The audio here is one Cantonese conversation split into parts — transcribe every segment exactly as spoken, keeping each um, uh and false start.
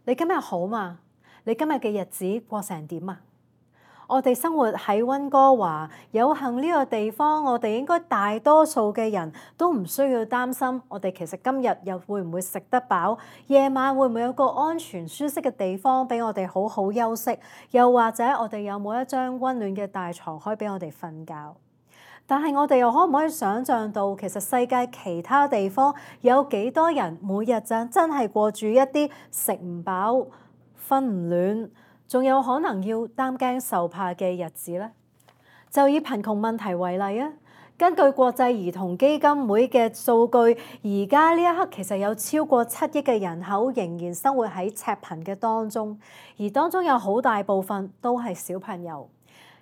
你今日好嘛？你今日嘅日子過成點啊？我哋生活喺溫哥華，有幸呢個地方，我哋應該大多數嘅人都唔需要擔心，我哋其實今日又會唔會食得飽？夜晚會唔會有個安全舒適嘅地方俾我哋好好休息？又或者我哋有冇一張溫暖嘅大床可以俾我哋瞓覺？但係我哋又可唔可以想像到，其實世界其他地方有幾多人每日就真係過住一啲食唔飽、瞓唔暖，仲有可能要擔驚受怕嘅日子呢？就以貧窮問題為例啊，根據國際兒童基金會嘅數據，而家呢一刻其實有超過七億嘅人口仍然生活喺赤貧嘅當中，而當中有好大部分都係小朋友。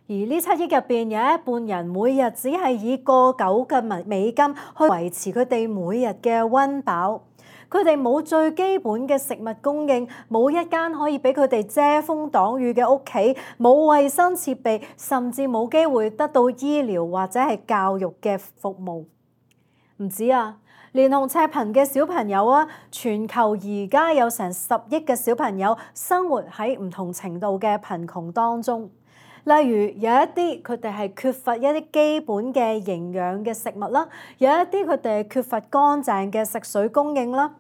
而呢七億入邊有一半人每日只係以個九嘅美金去維持佢哋每日嘅溫飽，佢哋冇最基本嘅食物供應，冇一間可以俾佢哋遮風擋雨嘅屋企，冇衛生設備，甚至冇機會得到醫療或者係教育嘅服務。唔止啊，連同赤貧嘅小朋友啊，全球而家有成十億嘅小朋友生活喺唔同程度嘅貧窮當中。例如有一啲佢哋係缺乏一啲基本嘅營養嘅食物啦，有一啲佢哋係缺乏乾淨嘅食水供應啦。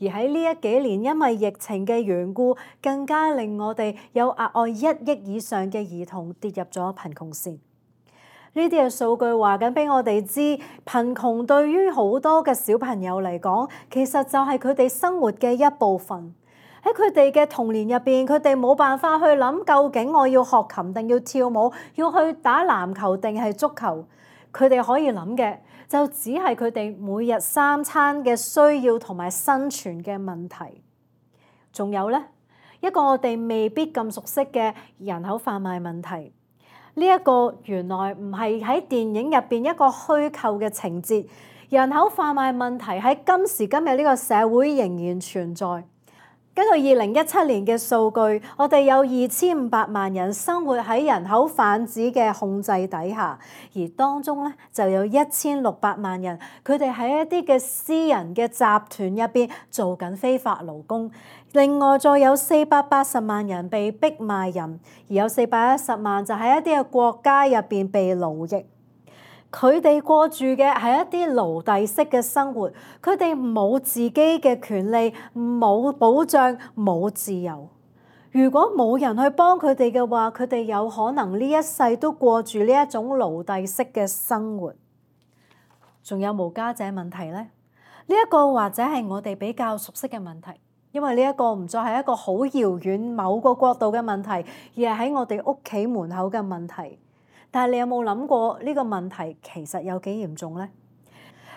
而喺呢一幾年因為疫情嘅緣故，更加令我哋有額外一億以上嘅兒童跌入咗貧窮線。呢啲嘅數據話緊俾我哋知，貧窮對於好多嘅小朋友嚟講，其實就係佢哋生活嘅一部分。喺佢哋嘅童年入邊，佢哋冇辦法去諗究竟我要學琴定要跳舞，要去打籃球定係足球。佢哋可以諗嘅就只係佢哋每日三餐嘅需要同埋生存嘅問題。仲有呢，一個我哋未必咁熟悉嘅人口販賣問題。呢一個原來唔係喺電影入邊一個虛構嘅情節，人口販賣問題喺今時今日呢個社會仍然存在。根據二零一七年嘅數據，我哋有二千五百萬人生活喺人口販子嘅控制底下，而當中咧就有一千六百萬人，佢哋喺一啲嘅私人嘅集團入邊做緊非法勞工。另外再有四百八十萬人被逼賣淫，而有四百一十萬就喺一啲嘅國家入邊被奴役。佢哋過住嘅係一啲奴隸式嘅生活，佢哋冇自己嘅權利，冇保障，冇自由。如果冇人去幫佢哋嘅話，佢哋有可能呢一世都過住呢一種奴隸式嘅生活。仲有無家者問題呢？呢一個或者係我哋比較熟悉嘅問題，因為呢一個唔再係一個好遙遠某個國度嘅問題，而係喺我哋屋企門口嘅問題。但係你有冇諗過呢個問題其實有幾嚴重呢？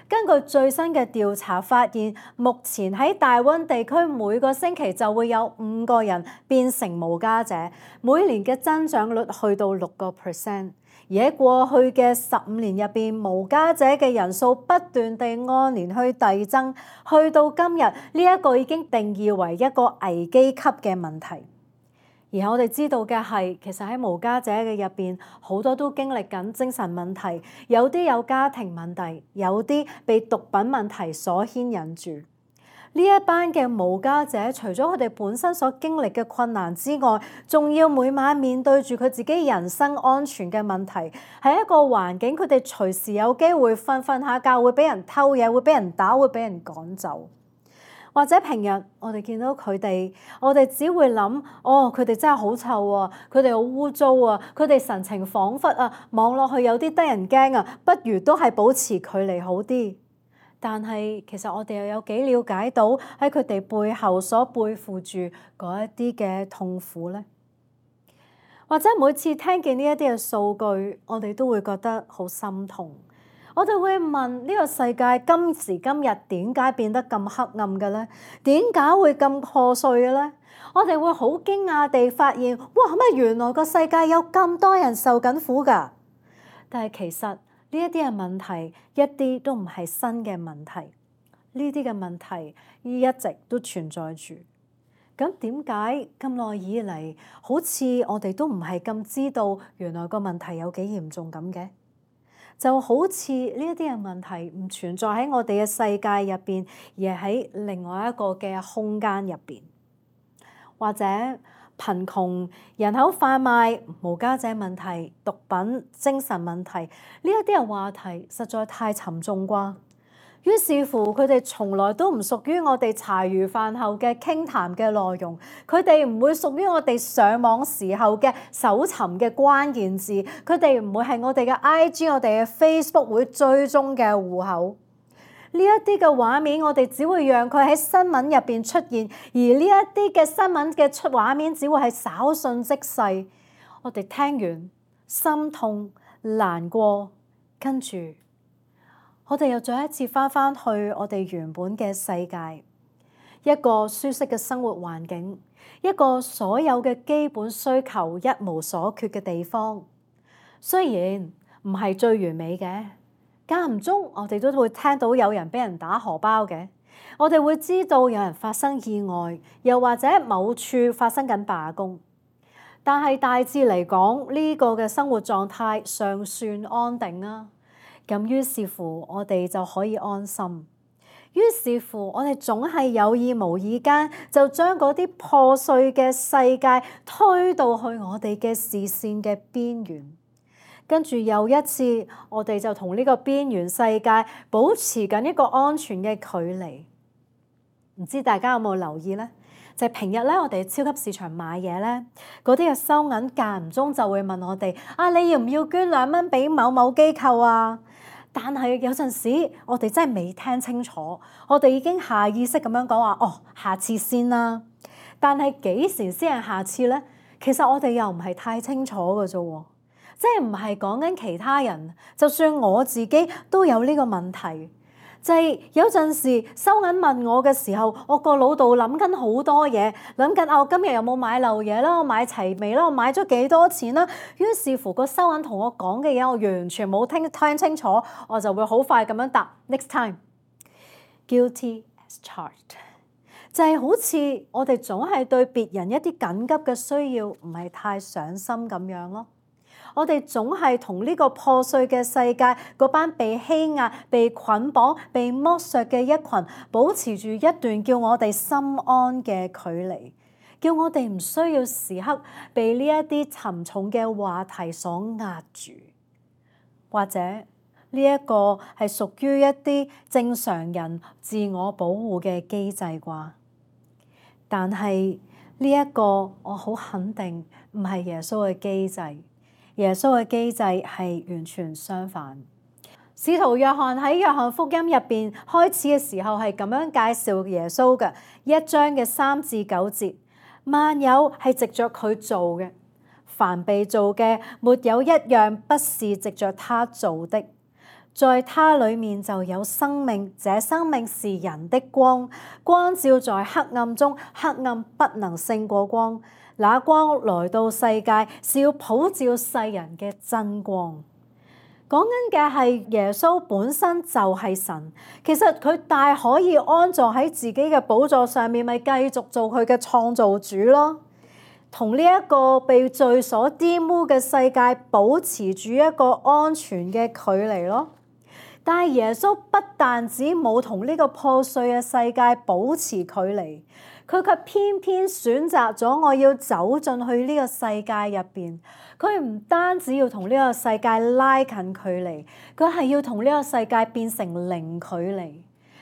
根據最新嘅調查發現，目前喺大溫地區每個星期就會有五個人變成無家者，每年嘅增長率去到六個 percent。而喺過去嘅十五年入邊，無家者嘅人數不斷地按年去遞增，去到今日呢一個已經定義為一個危機級嘅問題。而我哋知道嘅係，其實喺無家者嘅入邊，好多都經歷緊精神問題，有啲有家庭問題，有啲被毒品問題所牽引住。呢一班嘅無家者，除咗佢哋本身所經歷嘅困難之外，仲要每晚面對住佢自己人身安全嘅問題，係一個環境，佢哋隨時有機會瞓瞓下覺會俾人偷嘢，會俾人打，會俾人趕走。或者平日我哋見到佢哋，我哋只會諗，哦，佢哋真係好臭啊，佢哋好污糟啊，佢哋神情恍惚啊，望落去有啲得人驚啊，不如都係保持距離好啲。但係其實我哋又有幾了解到喺佢哋背後所背負住嗰一啲嘅痛苦呢？或者每次聽見呢一啲嘅數據，我哋都會覺得好心痛。我哋會問，呢個世界今時今日點解變得咁黑暗嘅咧？點解會咁破碎嘅咧？我哋會好驚訝地發現，哇！乜原來個世界有咁多人受緊苦㗎？但係其實呢一啲嘅問題一啲都唔係新嘅問題，呢啲嘅問題一直都存在住。咁點解咁耐以嚟，好似我哋都唔係咁知道原來個問題有幾嚴重咁嘅？就好似呢一啲嘅問題唔存在喺我哋嘅世界入邊，而係喺另外一個嘅空間入邊。或者貧窮、人口販賣、無家者問題、毒品、精神問題，呢一啲嘅話題實在太沉重啩。於是乎，佢哋從來都唔屬於我哋茶餘飯後嘅傾談嘅內容，佢哋唔會屬於我哋上網時候嘅搜尋嘅關鍵字，佢哋唔會係我哋嘅 I G、我哋嘅 Facebook 會追蹤嘅戶口。呢一啲嘅畫面，我哋只會讓佢喺新聞入邊出現，而呢一啲嘅新聞嘅出畫面，只會係稍縱即逝。我哋聽完心痛難過，跟住我哋又再一次翻返去我哋原本嘅世界，一個舒適嘅生活環境，一個所有嘅基本需求一無所缺嘅地方。雖然唔係最完美嘅，間唔中我哋都會聽到有人俾人打荷包嘅，我哋會知道有人發生意外，又或者某處發生緊罷工。但係大致嚟講，呢個嘅生活狀態尚算安定啊。咁於是乎，我哋就可以安心。於是乎，我哋總係有意無意間就將嗰啲破碎嘅世界推到去我哋嘅視線嘅邊緣。跟住又一次，我哋就同呢個邊緣世界保持緊一個安全嘅距離。唔知大家有冇留意呢？就係平日咧，我哋超級市場買嘢咧，嗰啲嘅收銀間唔中就會問我哋：啊，你要唔要捐兩蚊俾某某機構啊？但係有陣時，我哋真係未聽清楚，我哋已經下意識咁樣講話：哦，下次先啦。但係幾時先係下次呢？其實我哋又唔係太清楚嘅啫喎，即係唔係講緊其他人，就算我自己都有呢個問題。就係有陣時收銀問我嘅時候，我個腦度諗緊好多嘢，諗緊啊，我今日有冇買漏嘢啦？我買齊未啦？我買咗幾多錢啦？於是乎個收銀同我講嘅嘢，我完全冇聽聽清楚，我就會好快咁樣答 next time guilty as charged。就係好似我哋總係對別人一啲緊急嘅需要唔係太上心咁樣咯。我哋總係同呢個破碎嘅世界嗰班被欺壓、被捆綁、被剝削嘅一群，保持住一段叫我哋心安嘅距離，叫我哋唔需要時刻被呢一啲沉重嘅話題所壓住。或者呢一個係屬於一啲正常人自我保護嘅機制啩？但係呢一個我好肯定唔係耶穌嘅機制。耶穌嘅機制係完全相反。使徒約翰喺約翰福音入邊開始嘅時候係咁樣介紹耶穌嘅，一章嘅三至九節，萬有係藉着佢做嘅，凡被造嘅沒有一樣不是藉着他做的。在他裡面就有生命，這生命是人的光，光照在黑暗中，黑暗不能勝過光。那光來到世界，是要普照世人嘅真光。講緊嘅係耶穌本身就係神，其實佢大可以安坐喺自己嘅寶座上面，咪繼續做佢嘅創造主咯。同呢一個被罪所玷污嘅世界保持住一個安全嘅距離咯。但係耶穌不但止冇同呢個破碎嘅世界保持距離，佢卻偏偏選擇咗我要走進去呢個世界入邊。佢唔單止要同呢個世界拉近距離，佢係要同呢個世界變成零距離，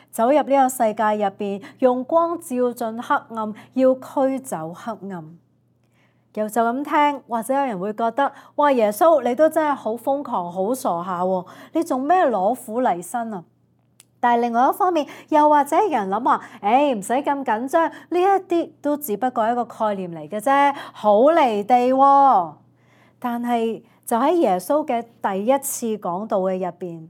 走入呢個世界入邊，用光照進黑暗，要驅走黑暗。又就咁聽，或者有人會覺得，哇，耶穌你都真係好瘋狂，好傻下喎！你做咩攞苦嚟辛啊？但係另外一方面，又或者有人諗話，誒唔使咁緊張，呢一啲都只不過係一個概念嚟嘅啫，好離地喎。但係就喺耶穌嘅第一次講道嘅入邊，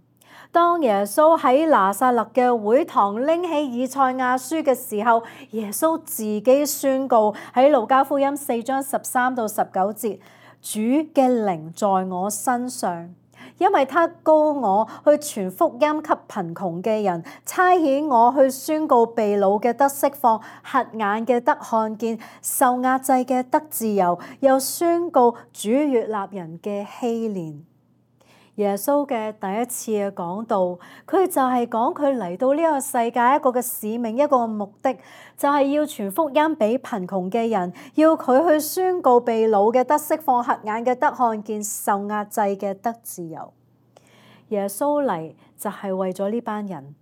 當耶穌喺拿撒勒嘅會堂拎起以賽亞書嘅時候，耶穌自己宣告喺路加福音四章十三到十九節，主嘅靈在我身上，因為他膏我去傳福音給貧窮嘅人，差遣我去宣告被擄嘅得釋放，瞎眼嘅得看見，受壓制嘅得自由，又宣告主悅納人嘅禧年。耶穌嘅第一次嘅講道，佢就係講佢嚟到呢個世界一個嘅使命，一個目的，就係要傳福音俾貧窮嘅人，要佢去宣告被擄嘅得釋放，瞎眼嘅得看見，受壓制嘅得自由。耶穌嚟就係為咗呢班人，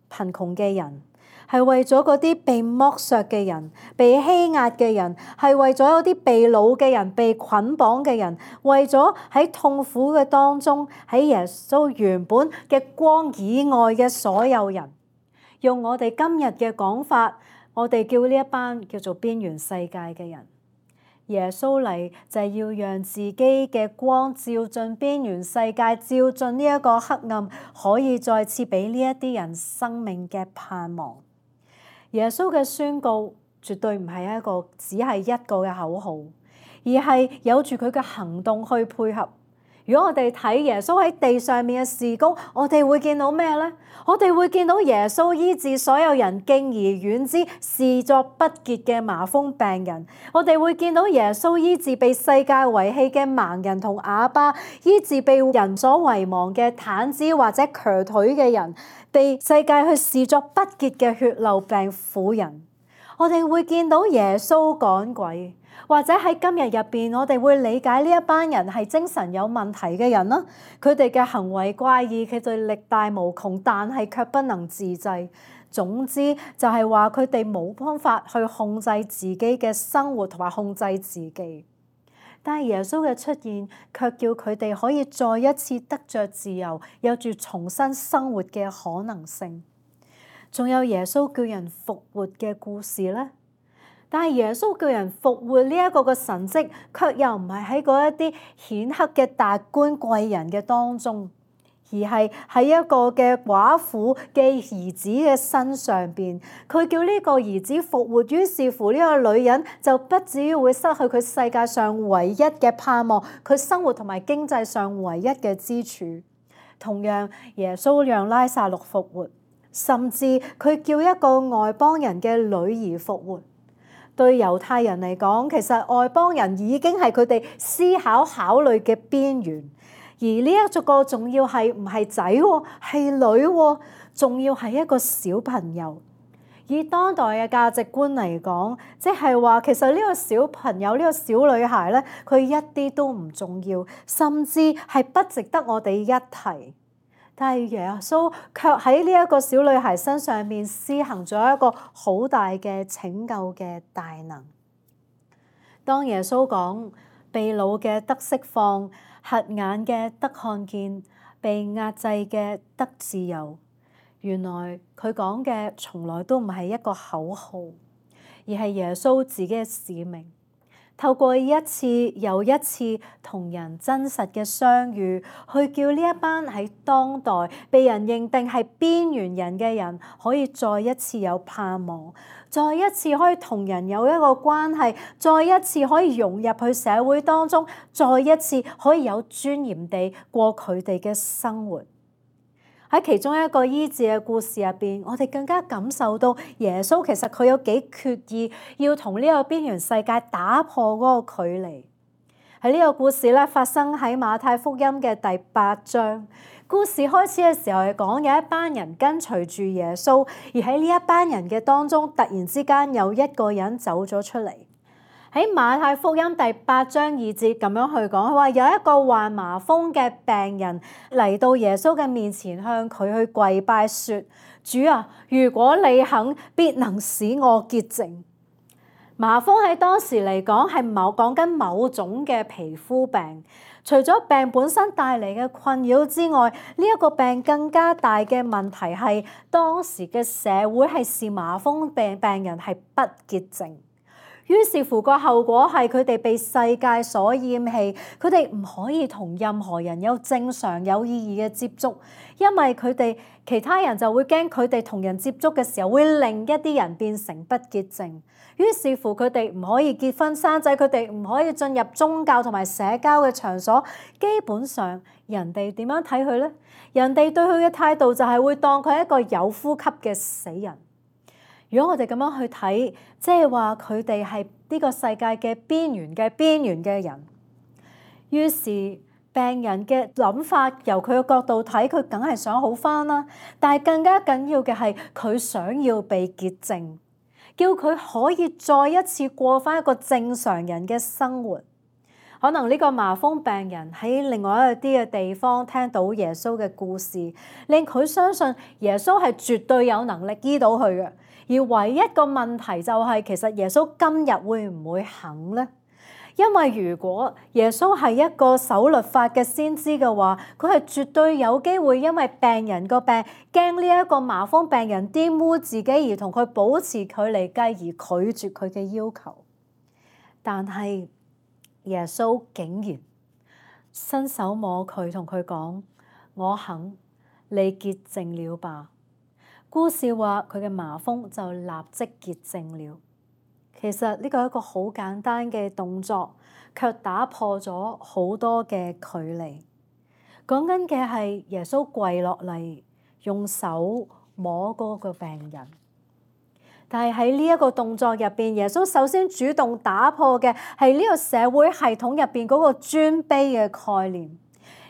貧窮嘅人，係為咗嗰啲被剝削嘅人、被欺壓嘅人，係為咗嗰啲被擄嘅人、被捆綁嘅人，為咗喺痛苦嘅當中，喺耶穌原本嘅光以外嘅所有人。用我哋今日嘅講法，我哋叫呢一班叫做邊緣世界嘅人。耶穌嚟就係要讓自己嘅光照進邊緣世界，照進呢一個黑暗，可以再次俾呢一啲人生命嘅盼望。耶穌嘅宣告絕對唔係一個只係一個嘅口號，而係有住佢嘅行動去配合。如果我哋睇耶穌喺地上面嘅事工，我哋會見到咩呢？我哋會見到耶穌醫治所有人敬而遠之、視作不潔嘅麻風病人。我哋會見到耶穌醫治被世界遺棄嘅盲人同啞巴，醫治被人所遺忘嘅癱子或者瘸腿嘅人，被世界去視作不潔嘅血漏病婦人。我哋會見到耶穌趕鬼。或者喺今日入邊，我哋會理解呢一班人係精神有問題嘅人啦。佢哋嘅行為怪異，佢哋力大無窮，但係卻不能自制。總之就係話佢哋冇方法去控制自己嘅生活同埋控制自己。但係耶穌嘅出現，卻叫佢哋可以再一次得着自由，有住重新生活嘅可能性。仲有耶穌叫人復活嘅故事呢？但係耶穌叫人復活呢一個嘅神蹟，卻又唔係喺嗰一啲顯赫嘅達官貴人嘅當中，而係喺一個嘅寡婦嘅兒子嘅身上邊。佢叫呢個兒子復活，於是乎呢個女人就不至於會失去佢世界上唯一嘅盼望，佢生活同埋經濟上唯一嘅支柱。同樣，耶穌讓拉撒路復活，甚至佢叫一個外邦人嘅女兒復活。對猶太人嚟講，其實外邦人已經係佢哋思考考慮嘅邊緣，而呢一個仲要係唔係仔喎，係女喎，仲要係一個小朋友。以當代嘅價值觀嚟講，即係話其實呢個小朋友，呢個小女孩咧，佢一啲都唔重要，甚至係不值得我哋一提。但係耶穌卻喺呢一個小女孩身上面施行咗一個好大嘅拯救嘅大能。當耶穌講被擄嘅得釋放，瞎眼嘅得看見，被壓制嘅得自由，原來佢講嘅從來都唔係一個口號，而係耶穌自己嘅使命。透過一次又一次同人真實嘅相遇，去叫呢一班喺當代被人認定係邊緣人嘅人，可以再一次有盼望，再一次可以同人有一個關係，再一次可以融入去社會當中，再一次可以有尊嚴地過佢哋嘅生活。喺其中一個醫治嘅故事入邊，我哋更加感受到耶穌其實佢有幾決意要同呢個邊緣世界打破嗰個距離。喺呢個故事咧，發生喺馬太福音嘅第八章。故事開始嘅時候係講有一班人跟隨住耶穌，而喺呢一班人嘅當中，突然之間有一個人走咗出嚟。喺馬太福音第八章二節咁樣去講，佢話有一個患麻風嘅病人嚟到耶穌嘅面前，向佢去跪拜說：主啊，如果你肯，必能使我潔淨。麻風喺當時嚟講係某講緊某種嘅皮膚病，除咗病本身帶嚟嘅困擾之外，呢一個病更加大嘅問題係當時嘅社會係視麻風病病人係不潔淨。於是乎個後果係佢哋被世界所厭棄，佢哋唔可以同任何人有正常有意義嘅接觸，因為佢哋其他人就會驚佢哋同人接觸嘅時候會令一啲人變成不潔淨。於是乎佢哋唔可以結婚生仔，佢哋唔可以進入宗教同埋社交嘅場所。基本上人哋點樣睇佢呢？人哋對佢嘅態度就係會當佢係一個有呼吸嘅死人。如果我哋咁樣去睇，即係話佢哋係呢個世界嘅邊緣嘅邊緣嘅人。於是病人嘅諗法，由佢嘅角度睇，佢梗係想好返啦。但係更加緊要嘅係，佢想要被潔淨，叫佢可以再一次過返一個正常人嘅生活。可能呢個麻風病人喺另外一啲嘅地方聽到耶穌嘅故事，令佢相信耶穌係絕對有能力醫到佢嘅。而唯一個問題就係，其實耶穌今日會唔會肯呢？因為如果耶穌係一個守律法嘅先知嘅話，佢係絕對有機會因為病人個病，驚呢一個麻風病人玷污自己而同佢保持距離，繼而拒絕佢嘅要求。但係耶穌竟然伸手摸佢，同佢講：我肯，你潔淨了吧。故事話佢嘅麻風就立即潔淨了。其實呢個係一個好簡單嘅動作，卻打破咗好多嘅距離。講緊嘅係耶穌跪落嚟，用手摸嗰個病人。但係喺呢一個動作入邊，耶穌首先主動打破嘅係呢個社會系統入邊嗰個尊卑嘅概念。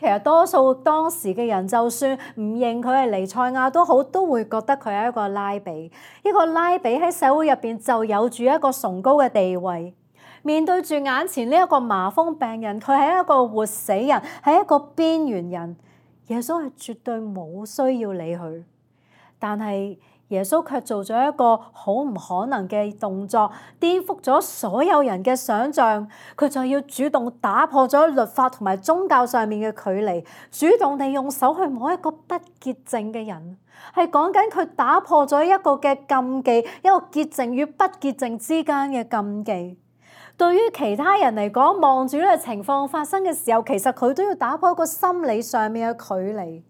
其實多數當時嘅人，就算唔認佢係彌賽亞都好，都會覺得佢係一個拉比。一個拉比喺社會入邊就有住一個崇高嘅地位。面對住眼前呢一個麻風病人，佢係一個活死人，係一個邊緣人。耶穌係絕對冇需要理佢，但係耶穌卻做咗一個好唔可能嘅動作，顛覆咗所有人嘅想像。佢就要主動打破咗律法同埋宗教上面嘅距離，主動地用手去摸一個不潔淨嘅人，係講緊佢打破咗一個嘅禁忌，一個潔淨與不潔淨之間嘅禁忌。對於其他人嚟講，望住呢個情況發生嘅時候，其實佢都要打破一個心理上面嘅距離。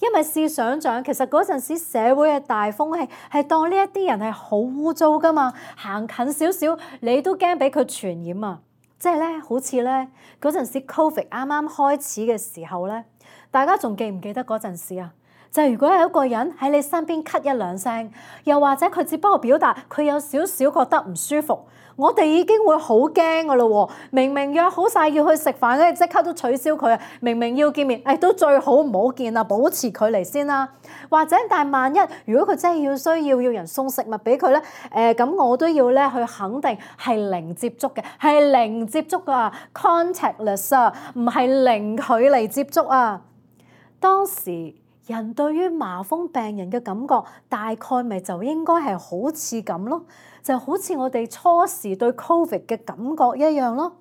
因為試想像，其實嗰陣時社會嘅大風氣係當呢一啲人係好污糟㗎嘛，行近少少你都驚俾佢傳染啊！即係咧，好似咧嗰陣時 Covid 啱啱開始嘅時候咧，大家仲記唔記得嗰陣時啊？就係如果有一個人喺你身邊咳一兩聲，又或者佢只不過表達佢有少少覺得唔舒服，我哋已經會好驚㗎咯喎！明明約好晒要去食飯，跟住即刻都取消佢啊！明明要見面，誒、哎、都最好唔好見啦，保持距離先啦。或者但係萬一如果佢真係要需要要人送食物俾佢咧，誒、呃、咁我都要咧去肯定係零接觸嘅，係零接觸啊 ，contactless 啊，唔係零距離接觸啊。當時人對於麻風病人嘅感覺，大概咪就應該係好似咁咯，就好似我哋初時對 Covid 嘅感覺一樣咯。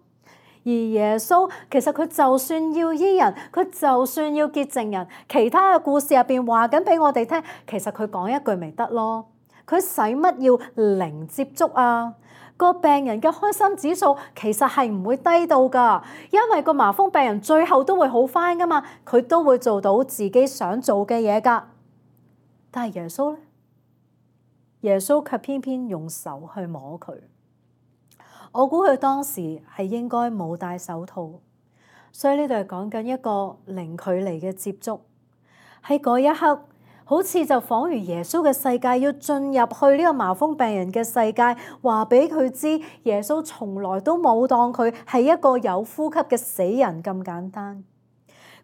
而耶穌其實佢就算要醫人，佢就算要潔淨人，其他嘅故事入邊話緊俾我哋聽，其實佢講一句咪得咯。佢使乜要零接觸啊？個病人嘅開心指數其實係唔會低到㗎，因為個麻風病人最後都會好返㗎嘛，佢都會做到自己想做嘅嘢㗎。但係耶穌咧，耶穌卻偏偏用手去摸佢。我估佢當時係應該冇戴手套，所以呢度係講緊一個零距離嘅接觸。喺嗰一刻，好似就仿如耶穌嘅世界要進入去呢個麻風病人嘅世界，話俾佢知耶穌從來都冇當佢係一個有呼吸嘅死人咁簡單。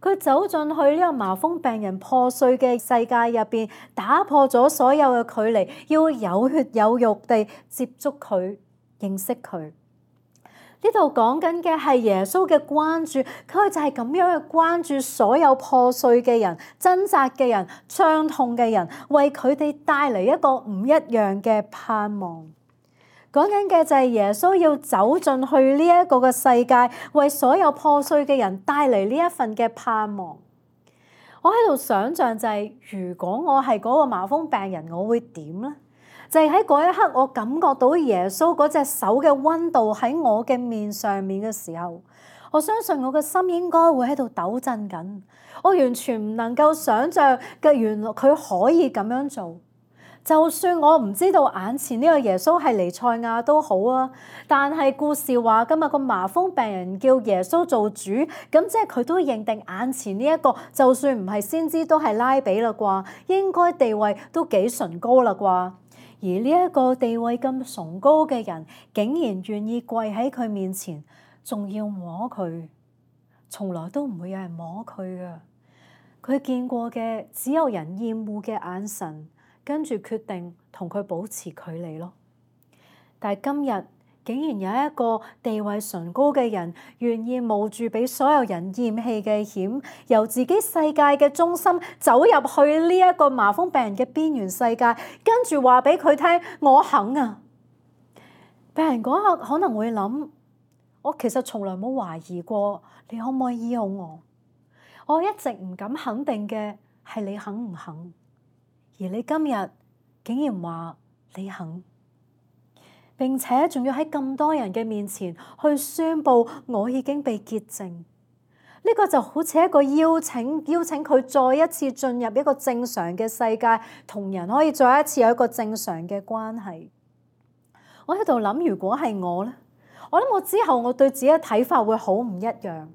佢走進去呢個麻風病人破碎嘅世界入邊，打破咗所有嘅距離，要有血有肉地接觸佢，認識佢。呢度講緊嘅係耶穌嘅關注，佢就係咁樣去關注所有破碎嘅人、掙扎嘅人、傷痛嘅人，為佢哋帶嚟一個唔一樣嘅盼望。講緊嘅就係耶穌要走進去呢一個嘅世界，為所有破碎嘅人帶嚟呢一份嘅盼望。我喺度想象就係，如果我係嗰個麻風病人，我會點呢？就係喺嗰一刻，我感覺到耶穌嗰隻手嘅溫度喺我嘅面上面嘅時候，我相信我嘅心應該會喺度抖震緊。我完全唔能夠想像嘅，原來佢可以咁樣做。就算我唔知道眼前呢個耶穌係彌賽亞都好啊，但係故事話今日個麻風病人叫耶穌做主，咁即係佢都認定眼前呢一個，就算唔係先知都係拉比啦啩，應該地位都幾崇高啦啩。而呢一個地位咁崇高嘅人，竟然願意跪喺佢面前，仲要摸佢，從來都唔會有人摸佢㗎。佢見過嘅只有人厭惡嘅眼神，跟住決定同佢保持距離咯。但係今日竟然有一個地位崇高嘅人，願意冒住俾所有人厭棄嘅險，由自己世界嘅中心走入去呢一個麻風病人嘅邊緣世界，跟住話俾佢聽：我肯啊！病人嗰刻可能會諗：我其實從來冇懷疑過你可唔可以醫好我，我一直唔敢肯定嘅係你肯唔肯，而你今日竟然話你肯。並且仲要喺咁多人嘅面前去宣佈我已經被潔淨，呢個就好似一個邀請，邀請佢再一次進入一個正常嘅世界，同人可以再一次有一個正常嘅關係。我喺度諗，如果係我呢，我諗我之後我對自己嘅睇法會好唔一樣，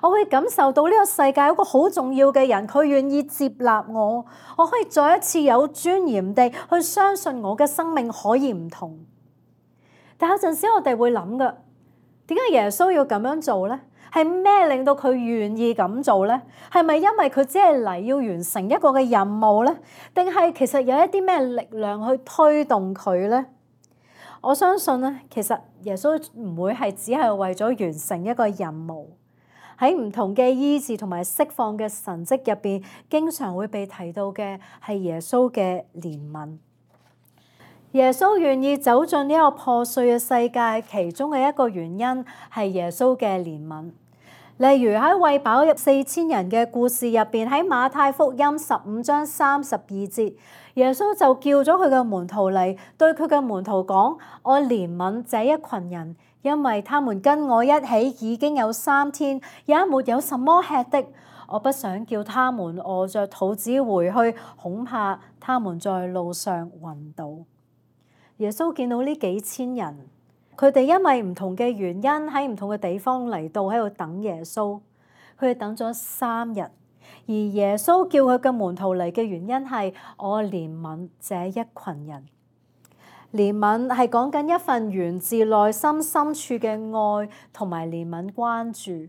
我會感受到呢個世界有一個好重要嘅人，佢願意接納我，我可以再一次有尊嚴地去相信我嘅生命可以唔同。但有陣時我哋會諗噶，點解耶穌要咁樣做呢？係咩令到佢願意咁做呢？係咪因為佢只係嚟要完成一個嘅任務呢？定係其實有一啲咩力量去推動佢呢？我相信咧，其實耶穌唔會係只係為咗完成一個任務。喺唔同嘅醫治同埋釋放嘅神蹟入邊，經常會被提到嘅係耶穌嘅憐憫。耶穌願意走進呢個破碎嘅世界，其中嘅一個原因係耶穌嘅憐憫。例如喺餵飽四千人嘅故事入邊，喺馬太福音十五章三十二節，耶穌就叫咗佢嘅門徒嚟，對佢嘅門徒講：我憐憫這一群人，因為他們跟我一起已經有三天，也沒有什麼吃的。我不想叫他們餓着肚子回去，恐怕他們在路上暈倒。耶穌見到呢幾千人，佢哋因為唔同嘅原因喺唔同嘅地方嚟到喺度等耶穌，佢哋等咗三日。而耶穌叫佢嘅門徒嚟嘅原因係我憐憫這一群人。憐憫係講緊一份源自內心深處嘅愛同埋憐憫關注。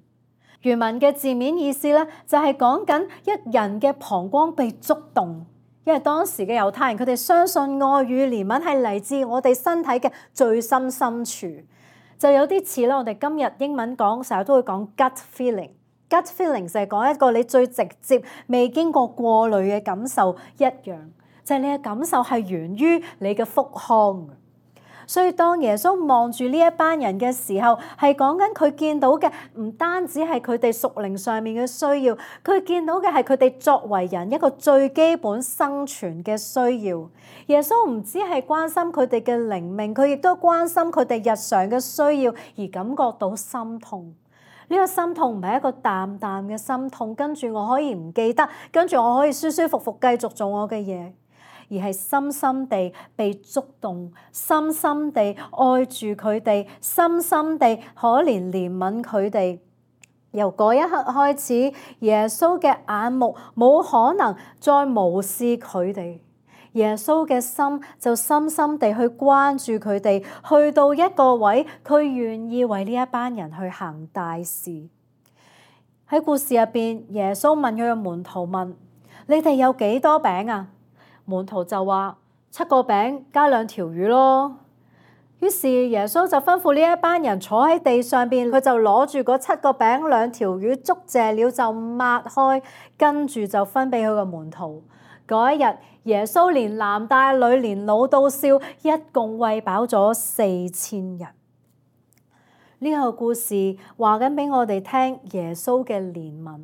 原文嘅字面意思咧，就係講緊一人嘅膀胱被觸動。因為當時嘅猶太人，佢哋相信愛與憐憫係嚟自我哋身體嘅最深深處，就有啲似咧。我哋今日英文講成日都會講 gut feeling，gut feeling 就係講一個你最直接、未經過過濾嘅感受一樣，就係你嘅感受係源於你嘅腹腔。所以當耶穌望住呢一班人嘅時候，係講緊佢見到嘅唔單止係佢哋屬靈上面嘅需要，佢見到嘅係佢哋作為人一個最基本生存嘅需要。耶穌唔只係關心佢哋嘅靈命，佢亦都關心佢哋日常嘅需要，而感覺到心痛。呢個心痛唔係一個淡淡嘅心痛，跟住我可以唔記得，跟住我可以舒舒服服繼續做我嘅嘢。而係深深地被觸動，深深地愛住佢哋，深深地可憐憐憫佢哋。由嗰一刻開始，耶穌嘅眼目冇可能再無視佢哋，耶穌嘅心就深深地去關注佢哋，去到一個位，佢願意為呢一班人去行大事。喺故事入邊，耶穌問佢嘅門徒問：你哋有幾多餅啊？門徒就話七個餅加兩條魚咯。於是耶穌就吩咐呢一班人坐喺地上邊，佢就攞住嗰七個餅兩條魚，祝謝了就擘開，跟住就分俾佢個門徒。嗰一日，耶穌連男帶女，連老到少，一共餵飽咗四千人。呢個故事話緊俾我哋聽耶穌嘅憐憫。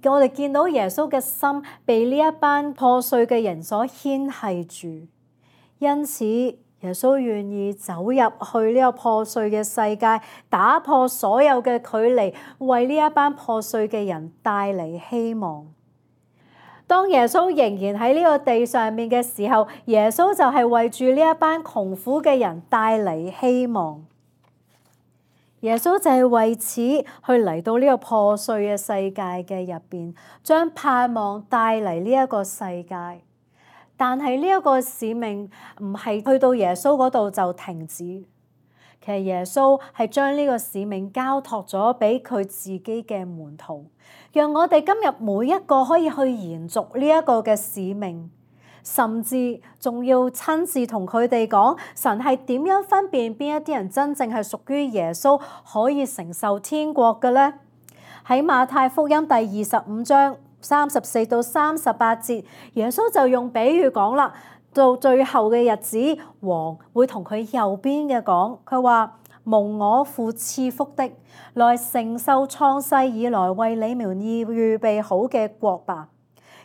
我哋見到耶穌嘅心被呢一班破碎嘅人所牽繫住，因此耶穌願意走入去呢個破碎嘅世界，打破所有嘅距離，為呢一班破碎嘅人帶嚟希望。當耶穌仍然喺呢個地上面嘅時候，耶穌就係為住呢一班窮苦嘅人帶嚟希望。耶穌就係為此去嚟到呢個破碎嘅世界嘅入邊，將盼望帶嚟呢一個世界。但係呢一個使命唔係去到耶穌嗰度就停止，其實耶穌係將呢個使命交託咗俾佢自己嘅門徒，讓我哋今日每一個可以去延續呢一個嘅使命，甚至仲要親自同佢哋講神係點樣分辨邊一啲人真正係屬於耶穌，可以承受天國嘅呢？喺馬太福音第二十五章三十四到三十八節，耶穌就用比喻講啦。到最後嘅日子，王會同佢右邊嘅講，佢話：蒙我父賜福的，來承受創世以來為你們預備好嘅國吧。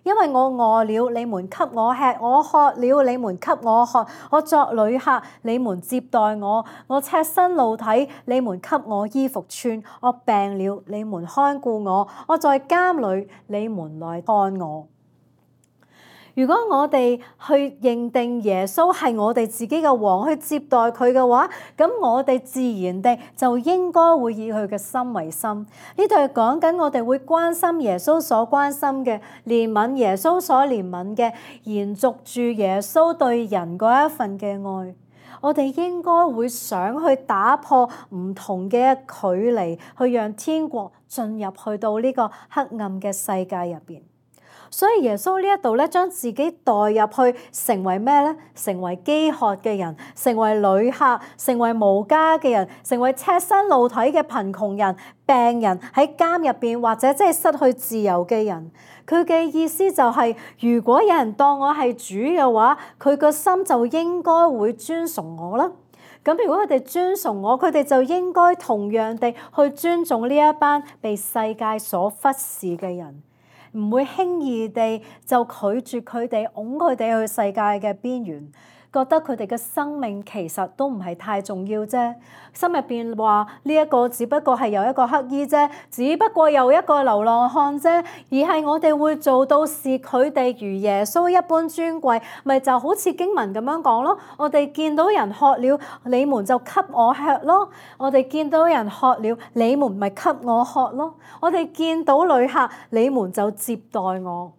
因為我餓了，你們給我吃；我渴了，你們給我喝；我作旅客，你們接待我；我赤身露體，你們給我衣服穿；我病了，你們看顧我；我在監裏，你們來看我。如果我哋去認定耶穌係我哋自己嘅王，去接待佢嘅話，咁我哋自然地就應該會以佢嘅心為心。呢度係講緊我哋會關心耶穌所關心嘅，憐憫耶穌所憐憫嘅，延續住耶穌對人嗰一份嘅愛。我哋應該會想去打破唔同嘅距離，去讓天國進入去到呢個黑暗嘅世界入邊。所以耶穌呢一度咧，將自己代入去成為咩咧？成為飢渴嘅人，成為旅客，成為無家嘅人，成為赤身露體嘅貧窮人、病人，喺監入邊或者即係失去自由嘅人。佢嘅意思就係，如果有人當我係主嘅話，佢個心就應該會尊崇我啦。咁如果佢哋尊崇我，佢哋就應該同樣地去尊重呢一班被世界所忽視嘅人。唔會輕易地就拒絕佢哋，擁佢哋去世界嘅邊緣，覺得佢哋嘅生命其實都唔係太重要啫。心入邊話呢一個只不過係由一個乞兒啫，只不過由一個流浪漢啫，而係我哋會做到視佢哋如耶穌一般尊貴，咪就好似經文咁樣講咯。我哋見到人渴了，你們就給我吃咯；我哋見到人渴了，你們咪給我喝咯；我哋見到旅客，你們就接待我。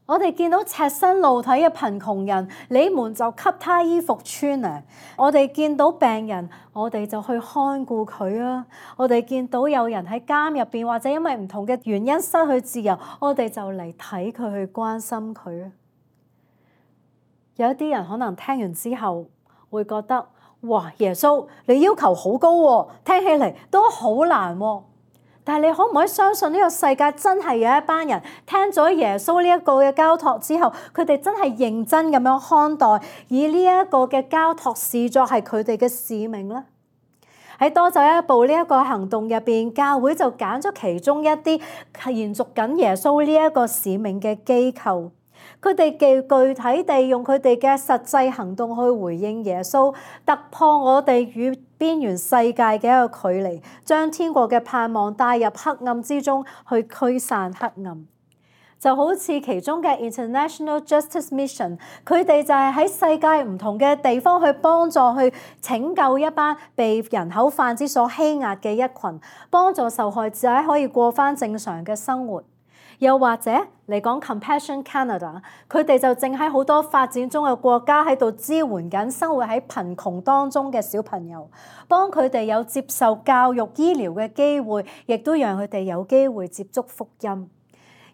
我哋見到赤身露體嘅貧窮人，你們就給他衣服穿啊！我哋見到病人，我哋就去看顧佢啊！我哋見到有人喺監入邊，或者因為唔同嘅原因失去自由，我哋就嚟睇佢，去關心佢啊！有一啲人可能聽完之後會覺得：哇，耶穌你要求好高喎，聽起嚟都好難喎。但係你可唔可以相信呢個世界真係有一班人聽咗耶穌呢一個嘅交託之後，佢哋真係認真咁樣看待，以呢一個嘅交託視作係佢哋嘅使命咧？喺多走一步呢一個行動入邊，教會就揀咗其中一啲係延續緊耶穌呢一個使命嘅機構。佢哋具具體地用佢哋嘅實際行動去回應耶穌，突破我哋與邊緣世界嘅一個距離，將天國嘅盼望帶入黑暗之中，去驅散黑暗。就好似其中嘅 International Justice Mission， 佢哋就係喺世界唔同嘅地方去幫助、去拯救一班被人口販子所欺壓嘅一群，幫助受害者可以過返正常嘅生活。又或者嚟講 Compassion Canada， 佢哋就正喺好多發展中嘅國家喺度支援緊生活喺貧窮當中嘅小朋友，幫佢哋有接受教育、醫療嘅機會，亦都讓佢哋有機會接觸福音。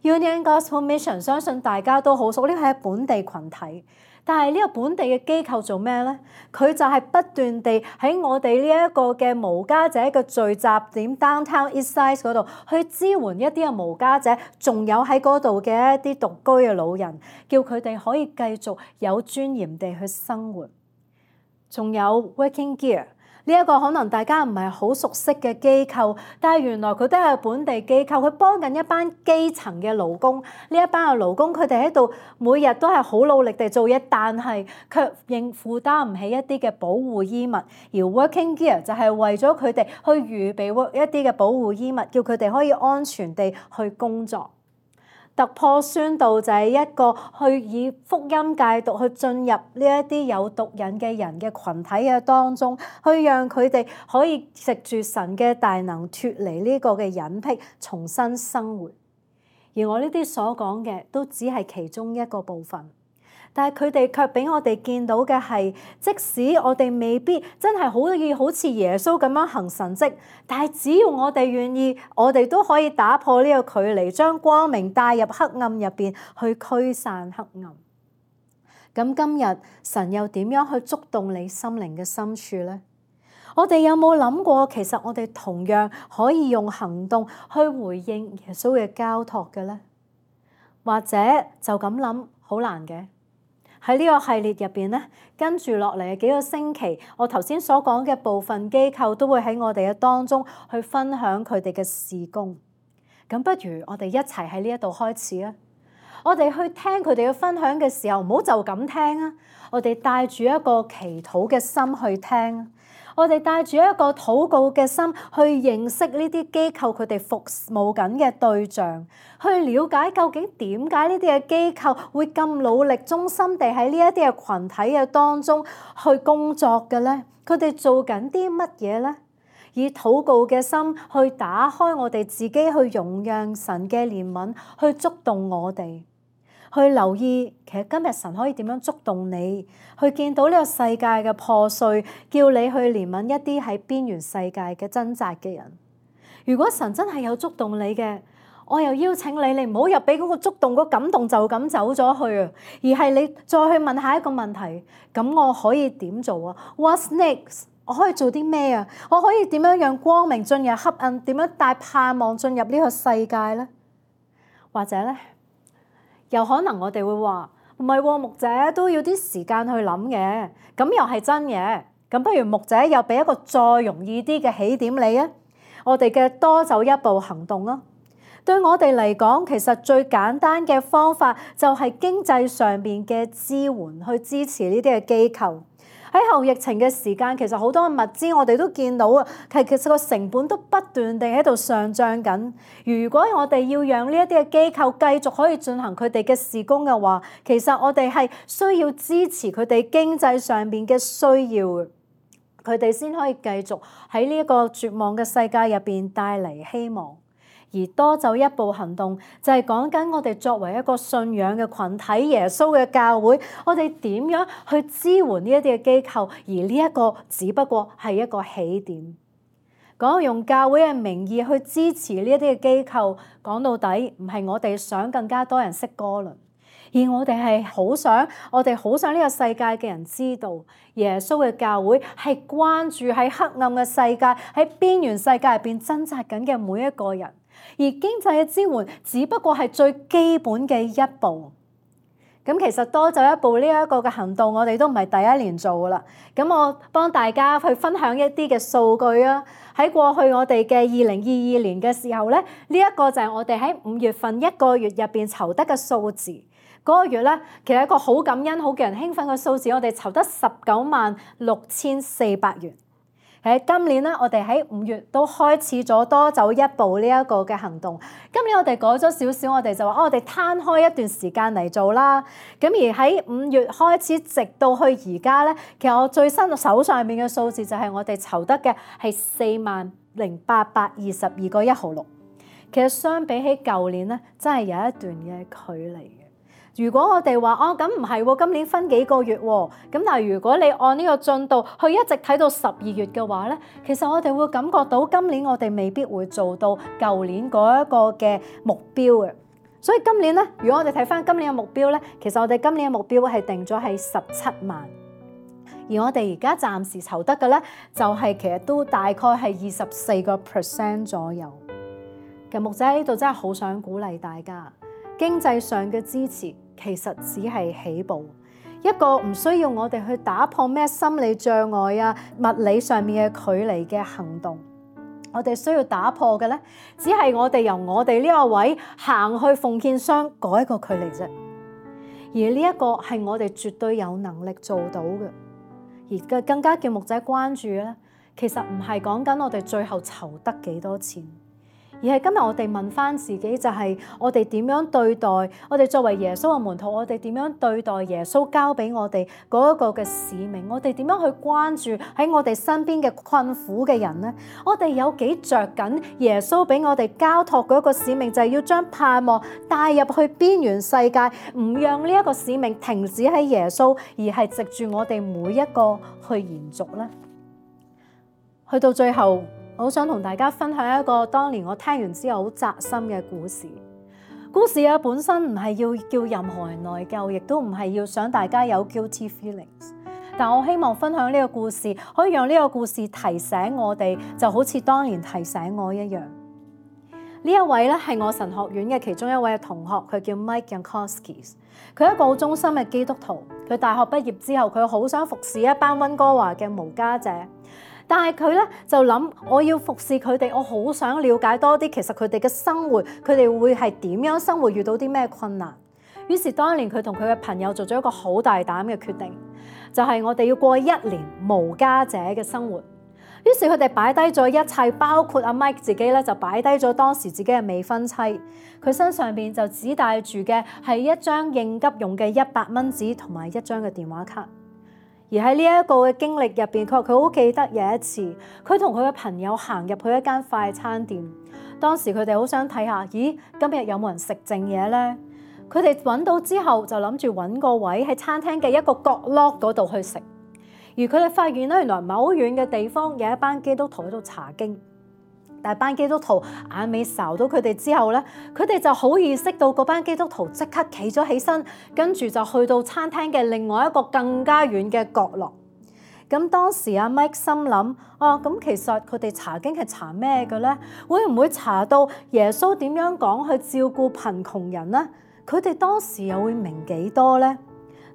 Union Gospel Mission 相信大家都好熟，呢個係本地群體。但係呢個本地嘅機構做咩咧？佢就係不斷地喺我哋呢一個嘅無家者嘅聚集點 Downtown Eastside 嗰度去支援一啲嘅無家者，仲有喺嗰度嘅一啲獨居嘅老人，叫佢哋可以繼續有尊嚴地去生活。仲有 Working Gear。呢一個可能大家唔係好熟悉嘅機構，但係原來佢都係本地機構，佢幫緊一班基層嘅勞工。呢一班嘅勞工，佢哋喺度每日都係好努力地做嘢，但係卻應負擔唔起一啲嘅保護衣物。而 Working Gear 就係為咗佢哋去預備一啲嘅保護衣物，叫佢哋可以安全地去工作。突破宣道就係一個去以福音戒毒去進入呢一啲有毒癮嘅人嘅群體嘅當中，去讓佢哋可以藉住神嘅大能脫離呢個嘅隱僻，重新生活。而我呢啲所講嘅都只係其中一個部分。但係佢哋卻俾我哋見到嘅係，即使我哋未必真係可以好似耶穌咁樣行神蹟，但係只要我哋願意，我哋都可以打破呢個距離，將光明帶入黑暗入邊，去驅散黑暗。咁今日神又點樣去觸動你心靈嘅深處呢？我哋有冇諗過，其實我哋同樣可以用行動去回應耶穌嘅交託嘅呢？或者就咁諗好難嘅。喺呢個系列入邊咧，跟住落嚟嘅幾個星期，我頭先所講嘅部分機構都會喺我哋嘅當中去分享佢哋嘅事工。咁不如我哋一齊喺呢一度開始啊！我哋去聽佢哋嘅分享嘅時候，唔好就咁聽啊！我哋帶住一個祈禱嘅心去聽，我哋帶住一個禱告嘅心去認識呢啲機構佢哋服務緊嘅對象，去了解究竟點解呢啲嘅機構會咁努力、忠心地喺呢一啲嘅群體嘅當中去工作嘅咧？佢哋做緊啲乜嘢咧？以禱告嘅心去打開我哋自己，去容讓神嘅憐憫去觸動我哋。去留意，其實今日神可以點樣觸動你，去見到呢個世界嘅破碎，叫你去憐憫一啲喺邊緣世界嘅掙扎嘅人。如果神真係有觸動你嘅，我又邀請你，你唔好入俾嗰個觸動、嗰個感動就咁走咗去啊，而係你再去問下一個問題：咁我可以點做啊 ？What's next？ 我可以做啲咩啊？我可以點樣讓光明進入黑暗？點樣帶盼望進入呢個世界咧？或者咧？又可能我哋會話唔係喎，牧者都要啲時間去諗嘅，咁又係真嘅。咁不如牧者又俾一個再容易啲嘅起點你啊！我哋嘅多走一步行動啊！對我哋嚟講，其實最簡單嘅方法就係經濟上面嘅支援，去支持呢啲嘅機構。喺後疫情嘅時間，其實好多嘅物資我哋都見到啊，其實個成本都不斷地喺度上漲緊。如果我哋要讓呢一啲嘅機構繼續可以進行佢哋嘅事工嘅話，其實我哋係需要支持佢哋經濟上面嘅需要，佢哋先可以繼續喺呢一個絕望嘅世界入邊帶嚟希望。而多走一步行動就係講緊我哋作為一個信仰嘅群體，耶穌嘅教會，我哋點樣去支援呢一啲嘅機構，而呢一個只不過係一個起點。講用教會嘅名義去支持呢一啲嘅機構，講到底唔係我哋想更加多人識歌倫，而我哋係好想，我哋好想呢個世界嘅人知道，耶穌嘅教會係關注喺黑暗嘅世界，喺邊緣世界入邊掙扎緊嘅每一個人。而經濟嘅支援只不過係最基本嘅一步。咁其實多走一步呢一個嘅行動，我哋都唔係第一年做噶啦。咁我幫大家去分享一啲嘅數據啊。喺過去我哋嘅二零二二年嘅時候咧，呢一個就係我哋喺五月份一個月入邊籌得嘅數字。嗰個月咧，其實一個好感恩、好叫人興奮嘅數字，我哋籌得十九萬六千四百元。喺今年咧，我哋喺五月都開始咗多走一步呢一個嘅行動。今年我哋改咗少少，我哋就話哦，我哋攤開一段時間嚟做啦。咁而喺五月開始，直到去而家咧，其實我最新手上面嘅數字就係我哋籌得嘅係四萬零八百二十二個一毫六。其實相比起舊年咧，真係有一段嘅距離。如果我哋話哦，咁唔係喎，今年分幾個月喎，咁但係如果你按呢個進度去一直睇到十二月嘅話咧，其實我哋會感覺到今年我哋未必會做到舊年嗰一個嘅目標嘅。所以今年咧，如果我哋睇翻今年嘅目標咧，其實我哋今年嘅目標係定咗係十七萬，而我哋而家暫時籌得嘅咧，就係其實都大概係二十四個 percent 左右。其實牧者喺呢度真係好想鼓勵大家。經濟上嘅支持其實只係起步，一個唔需要我哋去打破咩心理障礙啊、物理上面嘅距離嘅行動。我哋需要打破嘅咧，只係我哋由我哋呢個位行去奉獻箱嗰一個距離啫。而呢一個係我哋絕對有能力做到嘅。而更加叫牧者關注咧，其實唔係講緊我哋最後籌得幾多錢。而係今日我哋問翻自己，就係我哋點樣對待我哋作為耶穌嘅門徒，我哋點樣對待耶穌交俾我哋嗰一個嘅使命，我哋點樣去關注喺我哋身邊嘅困苦嘅人呢？我哋有幾着緊耶穌俾我哋交託嗰個使命，就係要將盼望帶入去邊緣世界，唔讓呢一個使命停止喺耶穌，而係藉住我哋每一個去延續呢。去到最後，我好想同大家分享一個當年我聽完之後好扎心嘅故事。故事啊本身唔係要叫任何人內疚，亦都唔係要想大家有 guilty feelings。但我希望分享呢個故事，可以讓呢個故事提醒我哋，就好似當年提醒我一樣。呢一位咧係我神學院嘅其中一位同學，佢叫 Mike Jankowski。佢係一個好忠心嘅基督徒。佢大學畢業之後，佢好想服侍一班溫哥華嘅無家者。但係佢咧就諗，我要服侍佢哋，我好想了解多啲，其實佢哋嘅生活，佢哋會係點樣生活，遇到啲咩困難。於是當年佢同佢嘅朋友做咗一個好大膽嘅決定，就係我哋要過一年無家者嘅生活。於是佢哋擺低咗一切，包括阿 Mike 自己咧就擺低咗當時自己嘅未婚妻，佢身上邊就只帶住嘅係一張應急用嘅一百蚊紙同埋一張嘅電話卡。而喺呢一個嘅經歷入邊，佢話佢好記得有一次，佢同佢嘅朋友行入去一間快餐店。當時佢哋好想睇下，咦，今日有冇人食剩嘢呢？佢哋揾到之後，就諗住揾個位喺餐廳嘅一個角落嗰度去食。而佢哋發現咧，原來唔係好遠嘅地方有一班基督徒喺度查經。但係班基督徒眼尾睄到佢哋之後咧，佢哋就好意識到嗰班基督徒即刻企咗起身，跟住就去到餐廳嘅另外一個更加遠嘅角落。咁當時阿 Mike 心諗，啊咁其實佢哋查經係查咩嘅咧？會唔會查到耶穌點樣講去照顧貧窮人咧？佢哋當時又會明幾多咧？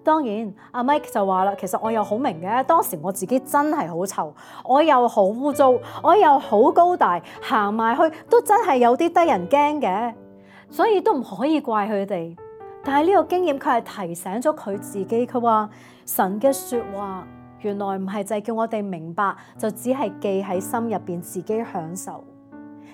當然，阿 Mike 就話啦，其實我又好明嘅，當時我自己真係好臭，我又好污糟，我又好高大，行埋去都真係有啲得人驚嘅，所以都唔可以怪佢哋。但係呢個經驗佢係提醒咗佢自己，佢話神嘅說話原來唔係就係叫我哋明白，就只係記喺心入邊自己享受，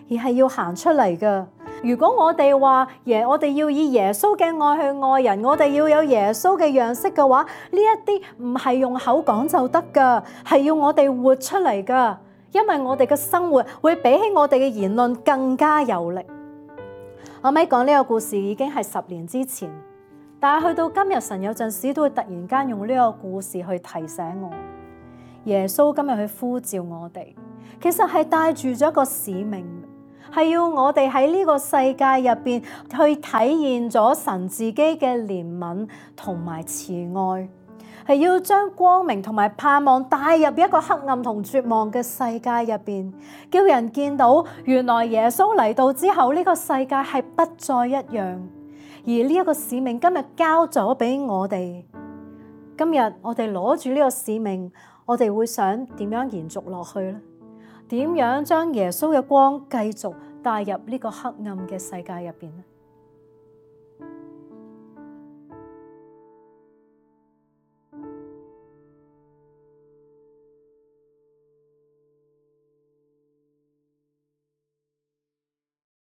而係要行出嚟㗎。如果我哋話耶，我哋要以耶穌嘅愛去愛人，我哋要有耶穌嘅樣式嘅話，呢一啲唔係用口講就得㗎，係要我哋活出嚟㗎。因為我哋嘅生活會比起我哋嘅言論更加有力。阿咪講呢個故事已經係十年之前，但係去到今日，神有陣時都會突然間用呢個故事去提醒我，耶穌今日去呼召我哋，其實係帶住咗一個使命。係要我哋喺呢個世界入邊去體現咗神自己嘅憐憫同埋慈愛，係要將光明同埋盼望帶入一個黑暗同絕望嘅世界入邊，叫人見到原來耶穌嚟到之後，呢個世界係不再一樣。而呢一個使命今日交咗俾我哋，今日我哋攞住呢個使命，我哋會想點樣延續落去呢？點樣將耶穌嘅光繼續帶入呢個黑暗嘅世界入邊呢？